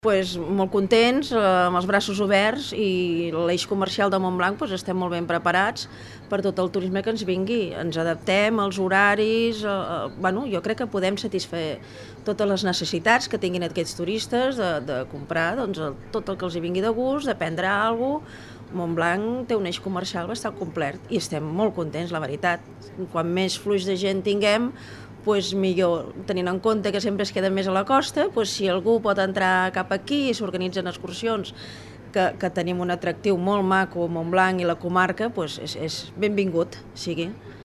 Molt contents, amb els braços oberts, i l'eix comercial de Montblanc estem molt ben preparats per tot el turisme que ens vingui. Ens adaptem als horaris, jo crec que podem satisfer totes les necessitats que tinguin aquests turistes de comprar tot el que els vingui de gust, de prendre alguna cosa. Montblanc té un eix comercial bastant complet i estem molt contents, la veritat. Quan més flux de gent tinguem, millor, tenint en compte que sempre es queda més a la costa, si algú pot entrar cap aquí i s'organitzen excursions, que tenim un atractiu molt maco, Montblanc i la comarca, és benvingut sigui.